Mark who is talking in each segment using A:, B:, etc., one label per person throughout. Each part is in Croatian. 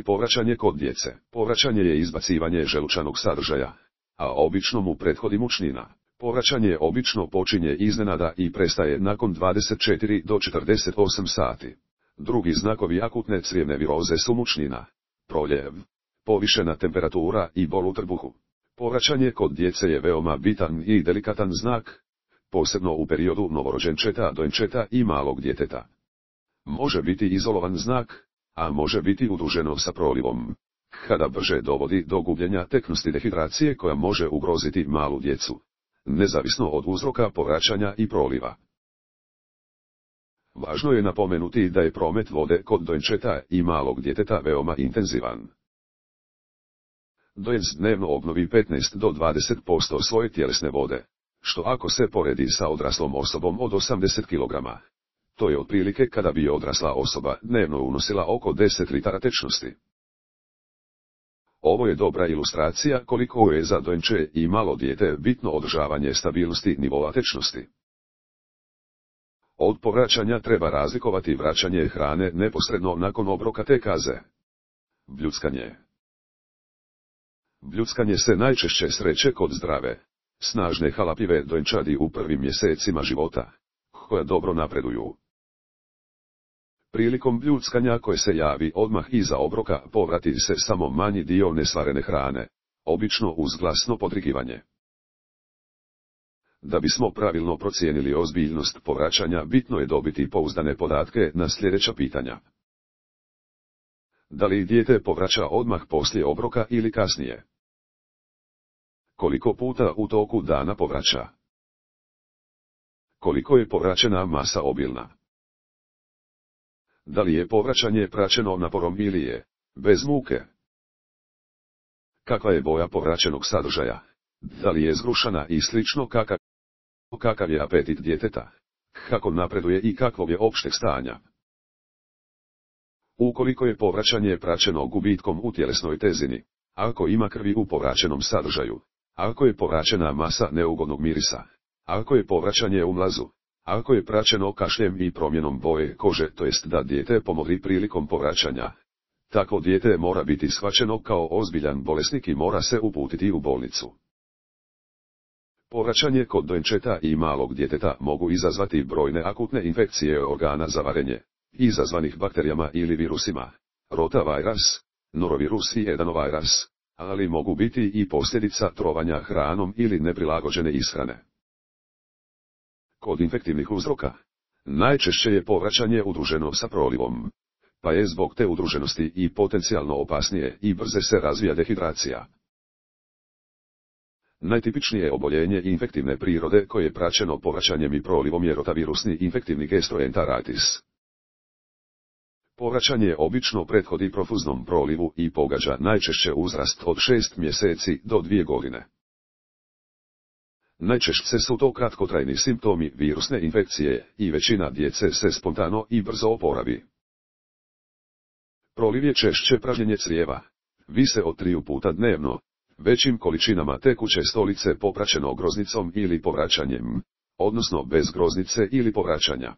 A: Povraćanje kod djece. Povraćanje je izbacivanje želučanog sadržaja, a obično mu prethodi mučnina. Povraćanje obično počinje iznenada i prestaje nakon 24 do 48 sati. Drugi znakovi akutne crijevne viroze su mučnina, proljev, povišena temperatura i bol u trbuhu. Povraćanje kod djece je veoma bitan i delikatan znak, posebno u periodu novorođenčeta, dojenčeta i malog djeteta. Može biti izolovan znak, a može biti udruženo sa prolivom, kada brže dovodi do gubljenja teknosti dehidracije koja može ugroziti malu djecu, nezavisno od uzroka povraćanja i proliva. Važno je napomenuti da je promet vode kod dojenčeta i malog djeteta veoma intenzivan. Dojenec dnevno obnovi 15 do 20% svoje tjelesne vode, što ako se poredi sa odraslom osobom od 80 kg, to je otprilike kada bi odrasla osoba dnevno unosila oko 10 litara tečnosti. Ovo je dobra ilustracija koliko je za dojenče i malo dijete bitno održavanje stabilnosti nivoa tečnosti. Od povraćanja treba razlikovati vraćanje hrane neposredno nakon obroka te kaze. Bljuckanje. Bljuckanje se najčešće sreće kod zdrave, snažne halapljive dojenčadi u prvim mjesecima života, koja dobro napreduju. Prilikom bljuckanja koje se javi odmah iza obroka povrati se samo manji dio nesvarene hrane, obično uz glasno podrigivanje. Da bismo pravilno procijenili ozbiljnost povraćanja, bitno je dobiti pouzdane podatke na sljedeća pitanja. Da li dijete povraća odmah poslije obroka ili kasnije? Koliko puta u toku dana povraća? Koliko je povraćena masa obilna? Da li je povraćanje praćeno naporom ili je bez muke? Kakva je boja povraćenog sadržaja? Da li je zgrušana i slično kakav je apetit djeteta? Kako napreduje i kakvog je opšteg stanja? Ukoliko je povraćanje praćeno gubitkom u tjelesnoj tezini, ako ima krvi u povraćenom sadržaju, ako je povraćena masa neugodnog mirisa, ako je povraćanje u mlazu, ako je praćeno kašljem i promjenom boje kože, to jest da dijete pomogli prilikom povraćanja, takvo dijete mora biti shvaćeno kao ozbiljan bolesnik i mora se uputiti u bolnicu. Povraćanje kod dojenčeta i malog djeteta mogu izazvati brojne akutne infekcije organa za varenje, izazvanih bakterijama ili virusima, rotavirus, norovirus i adenovirus, ali mogu biti i posljedica trovanja hranom ili neprilagođene ishrane. Kod infektivnih uzroka najčešće je povraćanje udruženo sa prolivom, pa je zbog te udruženosti i potencijalno opasnije i brže se razvija dehidracija. Najtipičnije oboljenje infektivne prirode koje je praćeno povraćanjem i prolivom je rotavirusni infektivni gastroenteritis. Povraćanje obično prethodi profuznom prolivu i pogađa najčešće uzrast od 6 mjeseci do 2 godine. Najčešće su to kratkotrajni simptomi virusne infekcije i većina djece se spontano i brzo oporavi. Proliv je češće pražnjenje crijeva, više od 3 puta dnevno, većim količinama tekuće stolice popraćeno groznicom ili povraćanjem, odnosno bez groznice ili povraćanja.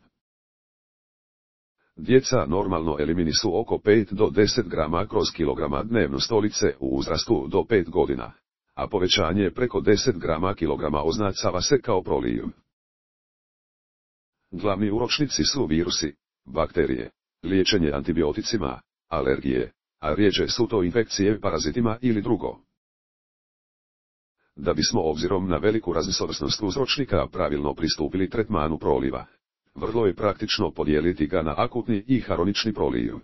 A: Djeca normalno eliminišu oko 5 do 10 grama kroz kilograma dnevno stolice u uzrastu do 5 godina, a povećanje preko 10 grama kilograma označava se kao proliv. Glavni uzročnici su virusi, bakterije, liječenje antibioticima, alergije, a rjeđe su to infekcije parazitima ili drugo. Da bismo obzirom na veliku raznovrsnost uzročnika pravilno pristupili tretmanu proliva, vrlo je praktično podijeliti ga na akutni i hronični proliv.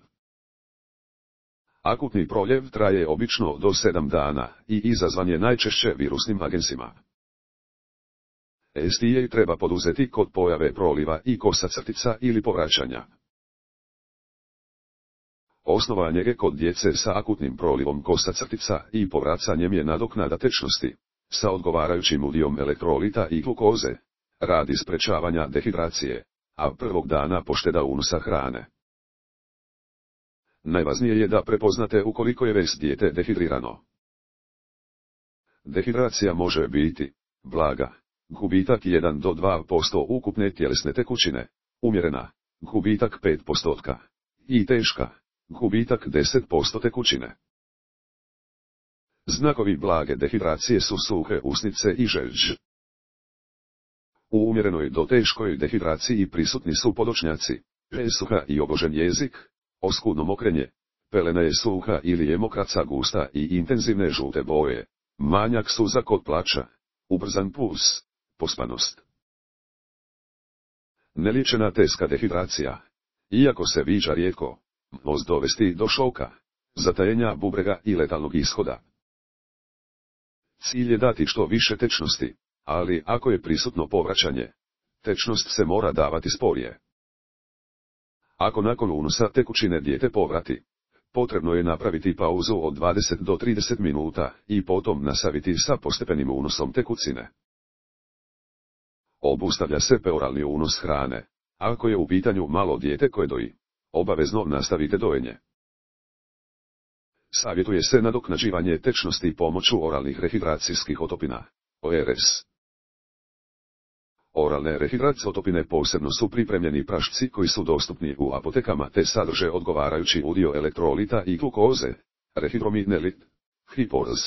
A: Akutni proljev traje obično do 7 dana i izazvan je najčešće virusnim agensima. STA treba poduzeti kod pojave proliva i kosa-crtica ili povraćanja. Osnova njege kod djece sa akutnim prolivom kosa-crtica i povracanjem je nadoknada tečnosti, sa odgovarajućim udijom elektrolita i glukoze, radi sprečavanja dehidracije, a prvog dana pošteda unosa hrane. Najvažnije je da prepoznate ukoliko je već dijete dehidrirano. Dehidracija može biti blaga, gubitak 1 do 2% ukupne tjelesne tekućine, umjerena, gubitak 5%, i teška, gubitak 10% tekućine. Znakovi blage dehidracije su suhe usnice i žeđ. U umjerenoj do teškoj dehidraciji prisutni su podočnjaci, presuha i obožen jezik, oskudno mokrenje, pelena je suha ili je mokraca gusta i intenzivne žute boje, manjak suza kod plača, ubrzan puls, pospanost. Neliječena teška dehidracija, iako se viđa rijetko, može dovesti do šoka, zatajenja bubrega i letalnog ishoda. Cilj je dati što više tečnosti, ali ako je prisutno povraćanje, tečnost se mora davati sporije. Ako nakon unosa tekućine dijete povrati, potrebno je napraviti pauzu od 20 do 30 minuta i potom nastaviti sa postepenim unosom tekućine. Obustavlja se peoralni unos hrane. Ako je u pitanju malo dijete koje doji, obavezno nastavite dojenje. Savjetuje se nadoknađivanje tečnosti pomoću oralnih rehidracijskih otopina, ORS. Oralne rehidracijske otopine posebno su pripremljeni prašci koji su dostupni u apotekama te sadrže odgovarajući udio elektrolita i glukoze, rehidrominelit, hipoz.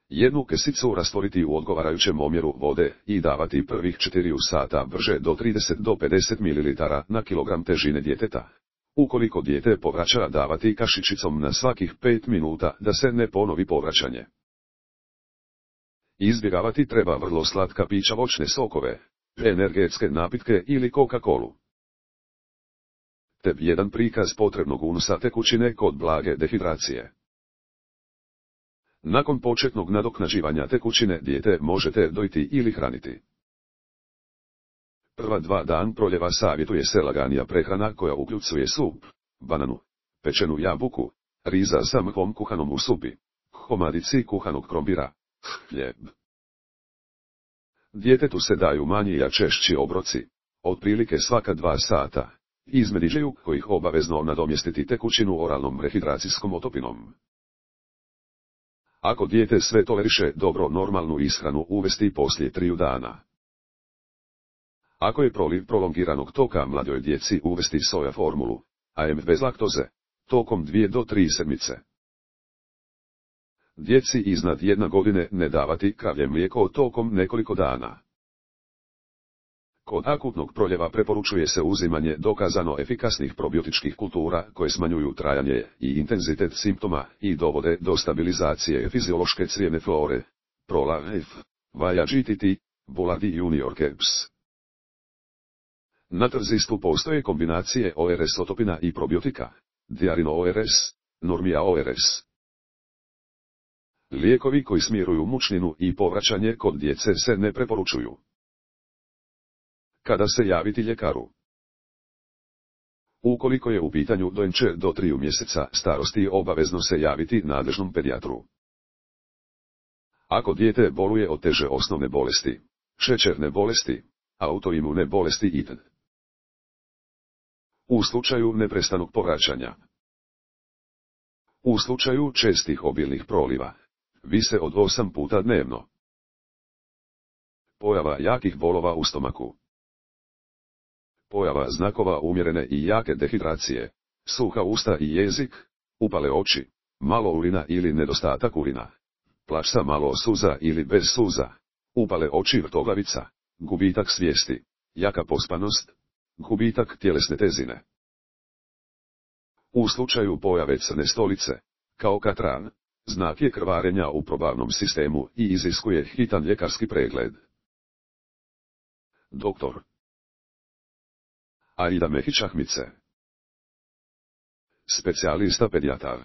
A: Jednu kesicu rastvoriti u odgovarajućem omjeru vode i davati prvih 4 sata brže do 30 do 50 ml na kilogram težine djeteta. Ukoliko dijete povraća davati kašičicom na svakih 5 minuta da se ne ponovi povraćanje. Izbjegavati treba vrlo slatka pića, voćne sokove, energetske napitke ili Coca-Colu. Te jedan prikaz potrebnog unosa tekućine kod blage dehidracije. Nakon početnog nadoknađivanja tekućine dijete možete dojiti ili hraniti. Prva 2 dana proljeva savjetuje se laganija prehrana koja uključuje sup, bananu, pečenu jabuku, riza sa mhom kuhanom u supi, komadici kuhanog krompira, hljeb. Djetetu se daju manji a češći obroci, otprilike svaka 2 sata, između kojih obavezno nadomjestiti tekućinu oralnom rehidracijskom otopinom. Ako dijete sve toleriše, dobro normalnu ishranu uvesti poslije 3 dana. Ako je proliv prolongiranog toka mladoj djeci uvesti soja formulu, AM bez laktoze, tokom 2 do 3 sedmice. Djeci iznad 1 godine ne davati kravlje mlijeko tokom nekoliko dana. Kod akutnog proljeva preporučuje se uzimanje dokazano efikasnih probiotičkih kultura koje smanjuju trajanje i intenzitet simptoma i dovode do stabilizacije fiziološke crijevne flore, Prolaf, Vaja GTT, Buladi Junior Caps. Na tržištu postoje kombinacije ORS otopina i probiotika, Diarino ORS, Normia ORS. Lijekovi koji smiruju mučninu i povraćanje kod djece se ne preporučuju. Kada se javiti ljekaru? Ukoliko je u pitanju dojenče do 3 mjeseca starosti, obavezno se javiti nadležnom pedijatru. Ako dijete boluje od teže osnovne bolesti, šećerne bolesti, autoimune bolesti itd. U slučaju neprestanog povraćanja. U slučaju čestih obilnih proliva, više od 8 puta dnevno. Pojava jakih bolova u stomaku. Pojava znakova umjerene i jake dehidracije, suha usta i jezik, upale oči, malo urina ili nedostatak urina, plač sa malo suza ili bez suza, upale oči, vrtoglavica, gubitak svijesti, jaka pospanost, gubitak tjelesne težine. U slučaju pojave crne stolice, kao katran, znak je krvarenja u probavnom sistemu i iziskuje hitan ljekarski pregled. Doktor Aida Mehić Ahmice, specijalista pedijatar.